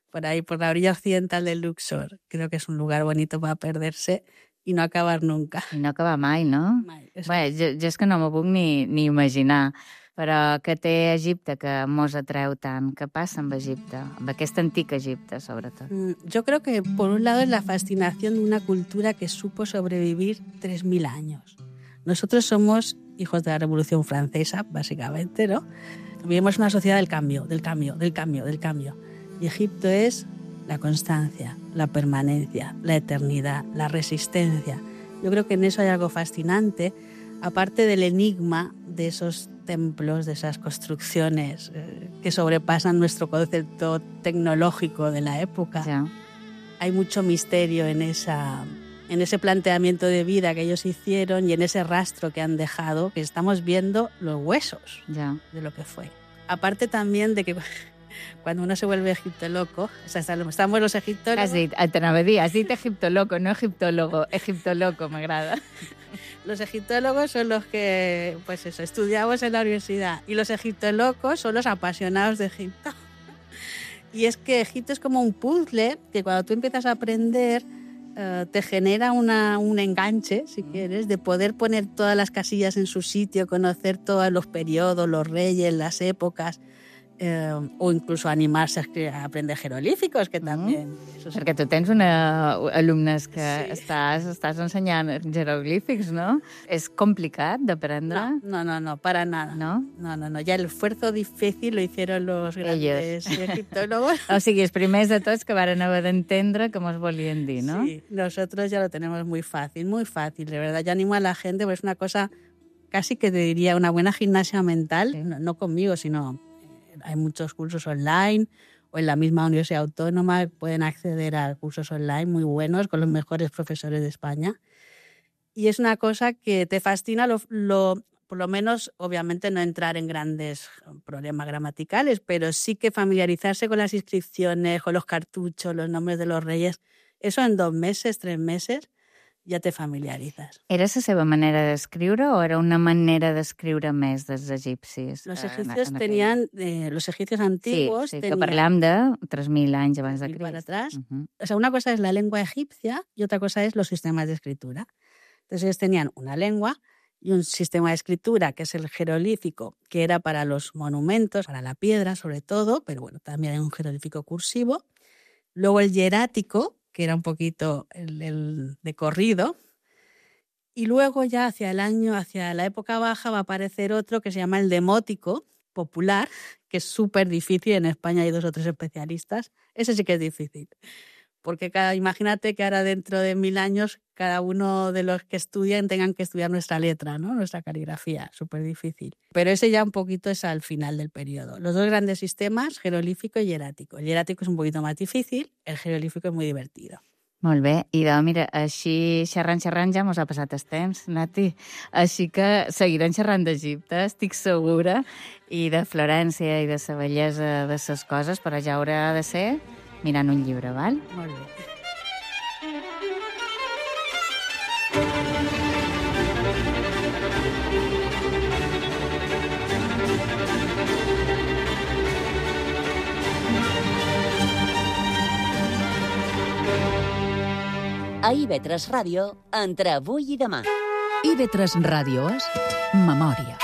por ahí, por la orilla occidental de Luxor. Creo que es un lugar bonito para perderse i no acabar nunca. I no acabar mai, no? Mai. Bé, jo és que no m'ho puc ni imaginar. Però què té Egipte que mos atreu tant? Què passa amb Egipte? Amb aquest antic Egipte, sobretot. Yo creo que, por un lado, es la fascinación de una cultura que supo sobrevivir 3.000 años. Nosotros somos hijos de la Revolución Francesa, básicamente, ¿no? Vivimos una sociedad del cambio. Y Egipto es la constancia, la permanencia, la eternidad, la resistencia. Yo creo que en eso hay algo fascinante, aparte del enigma de esos templos, de esas construcciones que sobrepasan nuestro concepto tecnológico de la época. Ja. Hay mucho misterio en ese planteamiento de vida que ellos hicieron y en ese rastro que han dejado, que estamos viendo los huesos de lo que fue. Aparte también de que cuando uno se vuelve egiptoloco, o sea, estamos los egiptólogos... Has dit egiptoloco, no egiptólogo. Egiptoloco, m'agrada. Los egiptólogos son los que, pues eso, estudiamos en la universidad. Y los egiptolocos son los apasionados de Egipto. Y es que Egipto es como un puzzle que cuando tú empiezas a aprender te genera un enganche, si quieres, de poder poner todas las casillas en su sitio, conocer todos los periodos, los reyes, las épocas, o incluso animarse a aprender jeroglíficos, que también... Perquè tu tens alumnes que estàs ensenyant jeroglífics, ¿no? És complicat d'aprendre? No, para nada. ¿No? No. Ya el esfuerzo difícil lo hicieron los grandes egiptólogos. O sigui, els primers de tots que varen haver d'entendre què mos volien dir, ¿no? Sí, nosotros ya lo tenemos muy fácil, de verdad. Yo animo a la gente, porque es una cosa casi que te diría una buena gimnasia mental, sí. No conmigo, sino... Hay muchos cursos online o en la misma Universidad Autónoma pueden acceder a cursos online muy buenos con los mejores profesores de España. Y es una cosa que te fascina, por lo menos, obviamente, no entrar en grandes problemas gramaticales, pero sí que familiarizarse con las inscripciones, con los cartuchos, los nombres de los reyes. Eso en 2 meses, 3 meses, ja te familiaritzes. Era la seva manera d'escriure o era una manera d'escriure més dels egipcis? Los egipcios tenían, los egipcios antiguos... Sí, que parlem de 3.000 anys abans de Crist. Para atrás. O sea, una cosa es la lengua egipcia y otra cosa es los sistemas de escritura. Entonces ellos tenían una lengua y un sistema de escritura que es el jeroglífico, que era para los monumentos, para la piedra sobre todo, pero bueno, también hay un jeroglífico cursivo. Luego el hierático, que era un poquito el de corrido, y luego ya hacia la época baja va a aparecer otro que se llama el demótico popular, que es súper difícil. En España hay 2 o 3 especialistas. Ese sí que es difícil, porque imagínate que ahora dentro de 1000 años cada uno de los que estudian tengan que estudiar nuestra letra, ¿no? Nuestra caligrafía, súper difícil. Pero ese ya un poquito es al final del periodo. Los 2 grandes sistemas, jeroglífico y hierático. El hierático es un poquito más difícil, el jeroglífico es muy divertido. Molt bé. Idò, mira, així xerrant ja mos ha passat el temps, Nati. Així que seguirem xerrant d'Egipte, estic segura, i de Florència i de la bellesa de les coses, però ja haurà de ser mirant un llibre, val? Molt bé. A IB3 Ràdio, entre avui i demà. IB3 Ràdio és memòria.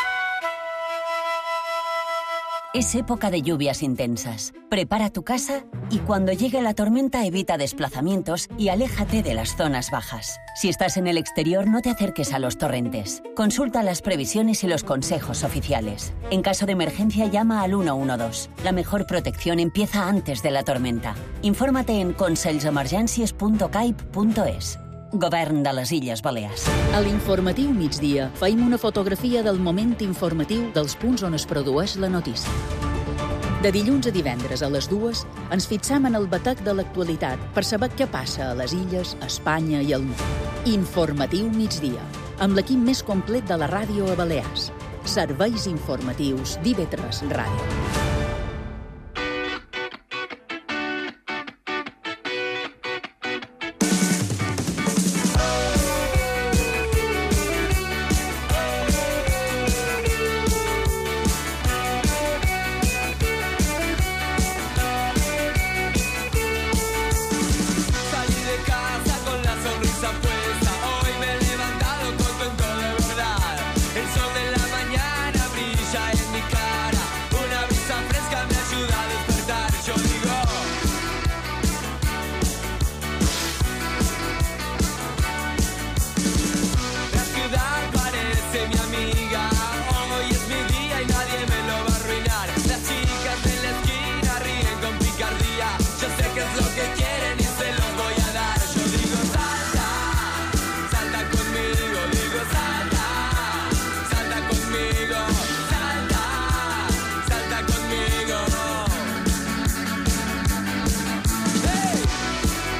Es época de lluvias intensas. Prepara tu casa y cuando llegue la tormenta evita desplazamientos y aléjate de las zonas bajas. Si estás en el exterior, no te acerques a los torrentes. Consulta las previsiones y los consejos oficiales. En caso de emergencia, llama al 112. La mejor protección empieza antes de la tormenta. Infórmate en conselsemergències.caip.es. Govern de les Illes Balears. A l'informatiu migdia feim una fotografia del moment informatiu dels punts on es produeix la notícia. De dilluns a divendres a les 2 ens fixam en el batec de l'actualitat per saber què passa a les illes, a Espanya i al món. Informatiu migdia, amb l'equip més complet de la ràdio a Balears. Serveis informatius d'IB3 Ràdio.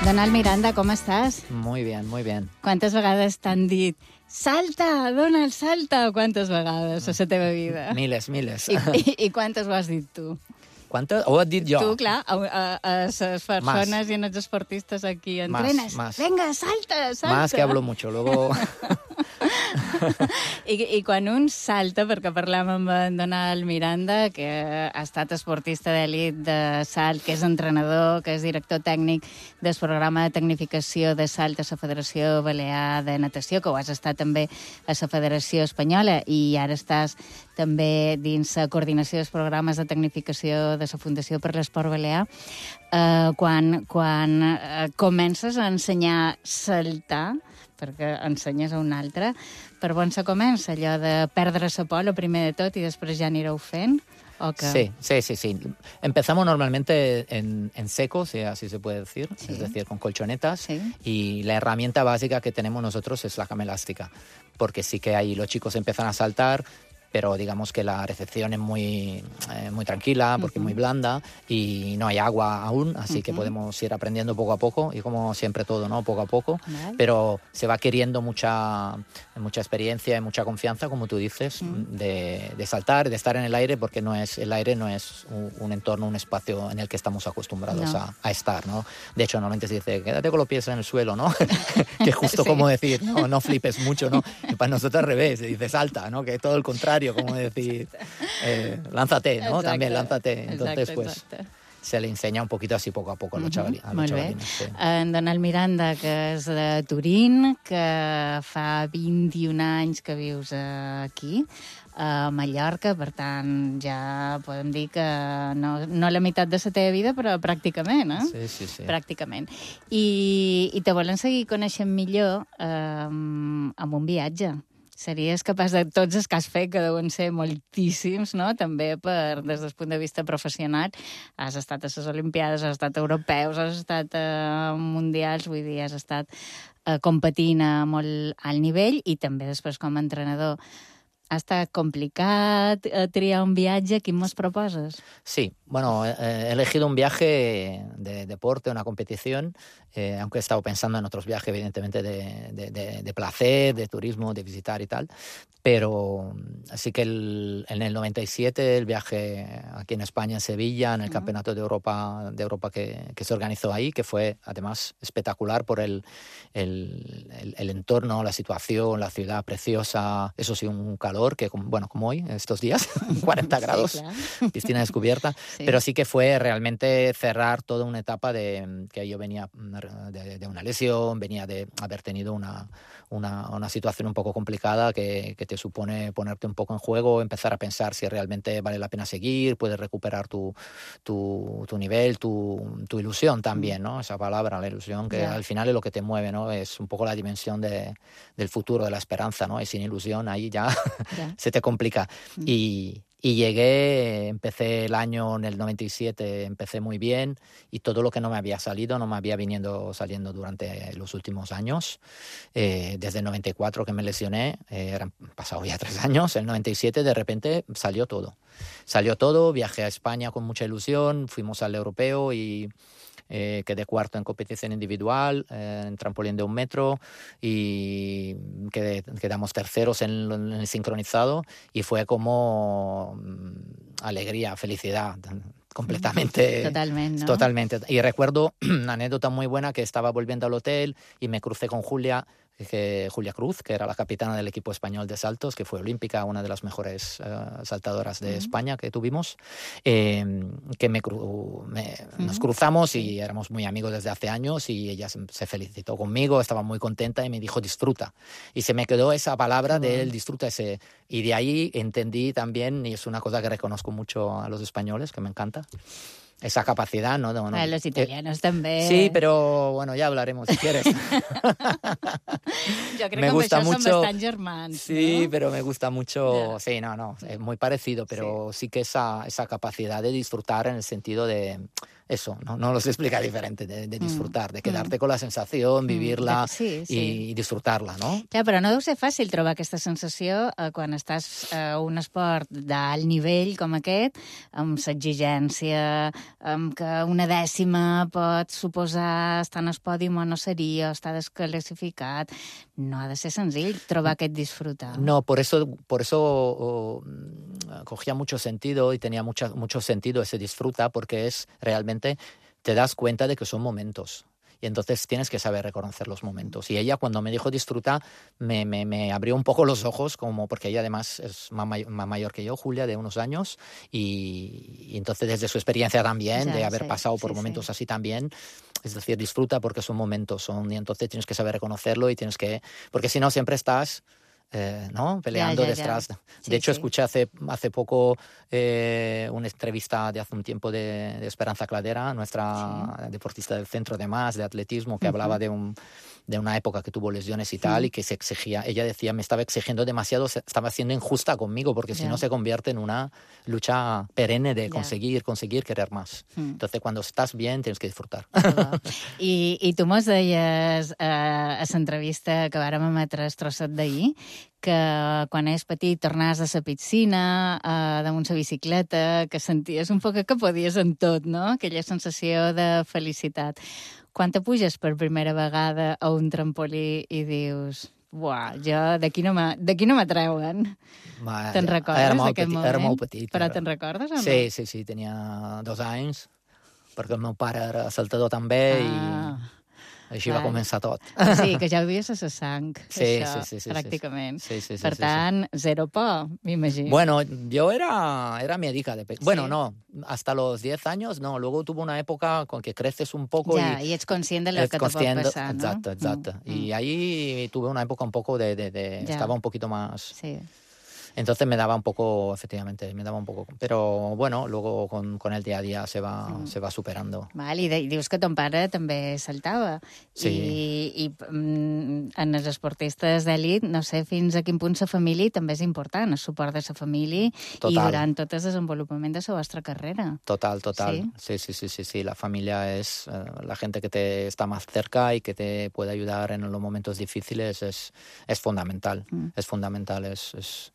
Donald Miranda, com estàs? Muy bien, muy bien. Quantes vegades t'han dit salta, Donald, salta? Quantes vegades a la teva vida? Miles, miles. I quantes ho has dit tu? ¿Cuánto? ¿O has dit jo? Tu, clar, a les persones i als esportistes aquí entrenes. Más. Venga, salta, salta. Más que hablo mucho, luego... I quan un salta, perquè parlem amb en Donald Miranda, que ha estat esportista d'elit de salt, que és entrenador, que és director tècnic del programa de tecnificació de salt a la Federació Balear de Natació, que ho has estat també a la Federació Espanyola, i ara estàs també dins la coordinació dels programes de tecnificació de la Fundació per l'Esport Balear. Quan comences a ensenyar a saltar, perquè ensenyes a un altre, per on se comença allò de perdre la por, el primer de tot, i després ja anireu fent? ¿O qué? Sí. Empezamos normalmente en seco, si así se puede decir, es decir, con colchonetas, y la herramienta básica que tenemos nosotros es la cama elástica, porque sí que ahí los chicos empiezan a saltar, pero digamos que la recepción es muy tranquila, porque es muy blanda, y no hay agua aún, así que podemos ir aprendiendo poco a poco, y como siempre todo, ¿no? Poco a poco, pero se va queriendo mucha experiencia y mucha confianza, como tú dices, de saltar, de estar en el aire, porque el aire no es un entorno, un espacio en el que estamos acostumbrados a estar, ¿no? De hecho, normalmente se dice, quédate con los pies en el suelo, ¿no? Que es justo como decir, no flipes mucho, ¿no? Y para nosotros al revés, se dice salta, ¿no? Que es todo el contrario, como decir, lánzate, ¿no? Exacte. También lánzate. Entonces, exacte. Se le enseña un poquito así poco a poco a los chavalines. Sí. En Donald Miranda, que és de Turín, que fa 21 anys que vius aquí, a Mallorca, per tant, ja podem dir que no la meitat de la teva vida, però pràcticament, eh? Sí. Pràcticament. I te volen seguir coneixent millor amb un viatge. Series capaç de tots els que has fet, que deuen ser moltíssims, no? També des del punt de vista professional. Has estat a les Olimpiades, has estat a europeus, has estat a mundials, vull dir, has estat competint a molt alt nivell, i també després com a entrenador. Ha estat complicat triar un viatge. Quin mos proposes? Sí, bueno, he elegido un viaje de deporte, una competición, aunque he estado pensando en otros viajes, evidentemente, de placer, de turismo, de visitar y tal, pero así que en el 97 el viaje aquí en España, en Sevilla, en el Campeonato de Europa que se organizó ahí, que fue además espectacular por el entorno, la situación, la ciudad preciosa, eso sí, un calor que, bueno, como hoy, estos días, 40 grados, sí, claro. Piscina descubierta, sí. Pero sí que fue realmente cerrar toda una etapa que yo venía de una lesión, venía de haber tenido una situación un poco complicada que te supone ponerte un poco en juego, empezar a pensar si realmente vale la pena seguir, puedes recuperar tu nivel, tu ilusión también, ¿no? Esa palabra, la ilusión, que al final es lo que te mueve, ¿no? Es un poco la dimensión del futuro, de la esperanza, ¿no? Y sin ilusión ahí ya se te complica. Y llegué, empecé el año en el 97, empecé muy bien, y todo lo que no me había salido no me había saliendo durante los últimos años. Desde el 94 que me lesioné, han pasado ya 3 años, el 97 de repente salió todo, viajé a España con mucha ilusión, fuimos al europeo y quedé cuarto en competición individual, en trampolín de 1 metro, y quedamos terceros en el sincronizado, y fue como alegría, felicidad, completamente. Totalmente, ¿no? Totalmente. Y recuerdo una anécdota muy buena, que estaba volviendo al hotel y me crucé con Julia Cruz, que era la capitana del equipo español de saltos, que fue olímpica, una de las mejores saltadoras de España que tuvimos, que nos cruzamos y éramos muy amigos desde hace años, y ella se felicitó conmigo, estaba muy contenta y me dijo disfruta. Y se me quedó esa palabra del disfruta, y de ahí entendí también, y es una cosa que reconozco mucho a los españoles, que me encanta, esa capacidad, ¿no? A los italianos también. Sí, pero bueno, ya hablaremos si quieres. Yo creo me que gusta mucho, son bastant germans, sí, ¿no? Pero me gusta mucho, sí, no, es muy parecido, pero sí que esa capacidad de disfrutar, en el sentido de eso, no lo sé explicar diferente, de disfrutar, de quedarte con la sensación, vivirla i disfrutar-la, no? Ja, però no deu ser fàcil trobar aquesta sensació quan estàs a un esport d'alt nivell com aquest, amb l'exigència, amb que una dècima pot suposar estar en el pòdium o no seria, estar desclassificat. No ha de ser senzill trobar aquest disfrutar. No, por eso cogía mucho sentido y tenía mucho sentido ese disfruta, porque es realmente te das cuenta de que son momentos. Y entonces tienes que saber reconocer los momentos. Y ella, cuando me dijo disfruta, me abrió un poco los ojos, como porque ella además es más mayor que yo, Julia, de unos años, y entonces desde su experiencia también, de haber pasado por momentos así también, es decir, disfruta porque son momentos, y entonces tienes que saber reconocerlo y tienes que... Porque si no, siempre estás... ¿no? Peleando detrás. De hecho, escuché hace poco una entrevista de hace un tiempo de Esperanza Cladera, nuestra deportista del centro de atletismo, que hablaba de una época que tuvo lesiones y tal, y que se exigía, ella decía, me estaba exigiendo demasiado, estaba siendo injusta conmigo, porque si no se convierte en una lucha perenne de conseguir querer más. Entonces, cuando estás bien, tienes que disfrutar. I tu mos deies a l'entrevista que vàrem emetre el trosset d'ahir, que quan és petit tornaves a la piscina, damunt la bicicleta, que senties un poc que podies en tot, no? Aquella sensació de felicitat. Quan te puges per primera vegada a un trampolí i dius, buah, jo d'aquí no m'atreuen. Te'n recordes d'aquest moment? Era molt petit. Però te'n recordes o no? Sí, tenia 2 anys, perquè el meu pare era saltador també i... Així va començar tot. Sí, que ja ho dius a la sang, això, pràcticament. Per tant, zero por, m'imagino. Bueno, yo era miedica de pequeño. Bueno, no, hasta los 10 años, no. Luego tuve una época con que creces un poco y ets conscient de lo que te pot pasar, ¿no? Exacto. Y ahí tuve una época un poco estaba un poquito más... Sí. Entonces me daba un poco, efectivamente, Pero bueno, luego con el día a día se va superando. Val, i dius que ton pare també saltava. Sí. I en els esportistes d'elit, no sé fins a quin punt la família també és important, el suport de la família i durant tot el desenvolupament de la vostra carrera. Total. Sí. La familia es la gente que te está más cerca y que te puede ayudar en los momentos difíciles, es fundamental. Es fundamental, es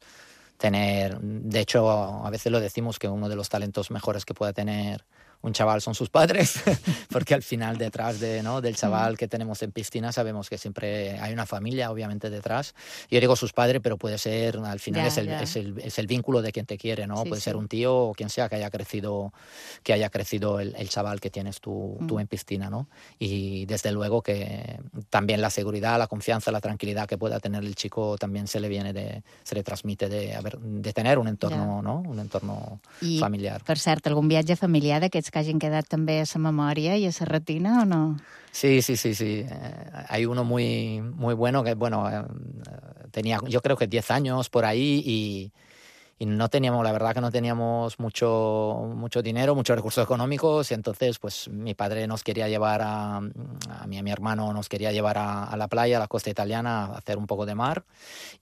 tener... De hecho, a veces lo decimos que uno de los talentos mejores que pueda tener un chaval son sus padres, porque al final detrás del chaval que tenemos en piscina sabemos que siempre hay una familia, obviamente, detrás. Yo digo sus padres, pero puede ser, al final es el vínculo de quien te quiere, ¿no? Puede ser un tío o quien sea que haya crecido el chaval que tienes tú en piscina, ¿no? Y desde luego que también la seguridad, la confianza, la tranquilidad que pueda tener el chico también se le transmite de tener un entorno, ¿no? Un entorno familiar. Per cert, algun viatge familiar d'aquests que hagin quedat també a la memòria i a la retina o no? Sí. Hay uno muy bueno que, tenía yo creo que 10 años por ahí y no teníamos, la verdad que no teníamos mucho dinero, muchos recursos económicos, y entonces pues mi padre nos quería llevar a mí y a mi hermano nos quería llevar a la playa, a la costa italiana, a hacer un poco de mar,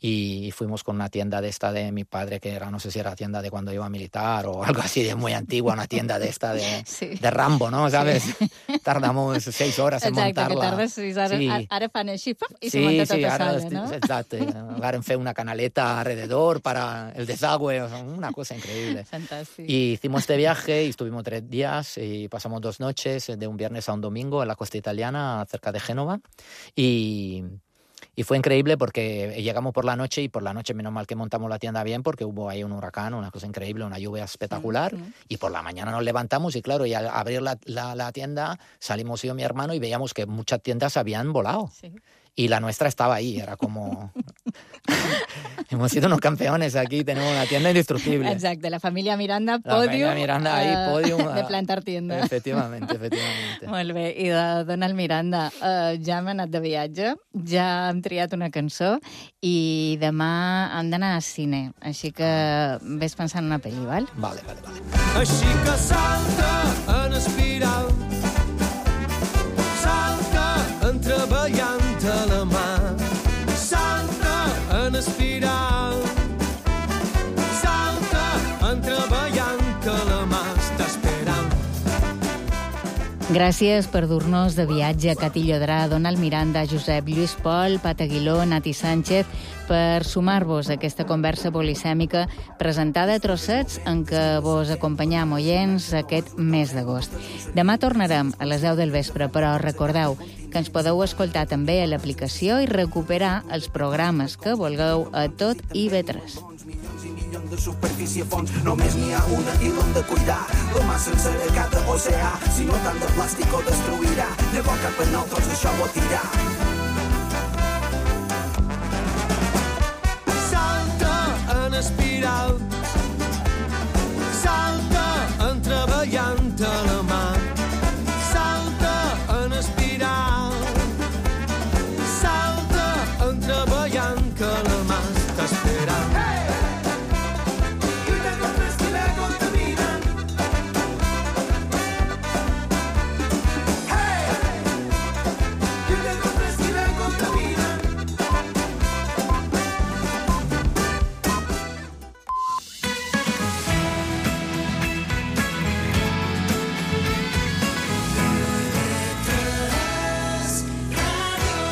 y fuimos con una tienda de esta de mi padre, que era, no sé si era tienda de cuando iba a militar o algo así de muy antigua, una tienda de esta de Rambo, ¿no? ¿Sabes? Tardamos 6 horas en montarla. Exacte, que tardes 6 hores. Sí. Ara fan així, i se munta tota sola, ¿no? Exacto. Varen fer una canaleta alrededor para el desagüe, una cosa increíble. Fantástico. Y hicimos este viaje y estuvimos 3 días y pasamos 2 noches, de un viernes a un domingo, en la costa italiana, cerca de Génova. Y fue increíble porque llegamos por la noche, y por la noche menos mal que montamos la tienda bien, porque hubo ahí un huracán, una cosa increíble, una lluvia espectacular, y por la mañana nos levantamos y claro, y al abrir la tienda salimos yo y mi hermano y veíamos que muchas tiendas habían volado. Sí. Y la nuestra estaba ahí, era como... Hemos sido unos campeones aquí, tenemos una tienda indestructible. Exacte, la família Miranda, pòdium... pòdium de plantar tienda. Efectivamente. Molt bé, i de Donald Miranda, ja hem anat de viatge, ja hem triat una cançó, i demà hem d'anar al cine, així que ves pensant en una pel·li, val? Vale. Així que salta en espiral, salta entreballant a la mà, salta en espiral, salta entreballant que la mà està esperant. Gràcies per dur-nos de viatge a Cati Llodrà, Donald Miranda, Josep Lluís Pol, Pat Aguiló, Nati Sánchez, per sumar-vos a aquesta conversa polisèmica presentada a trossets en què vos acompanyam oients aquest mes d'agost. Demà tornarem a les 10 del vespre, però recordeu que ens podeu escoltar també a l'aplicació i recuperar els programes que vulgueu a tot IB3. De superfície a fons, només n'hi ha una i l'hem de cuidar. La mà sencera cada oceà, si no tant de plàstic ho destruirà. Llavors cap a nosaltres això ho tirar.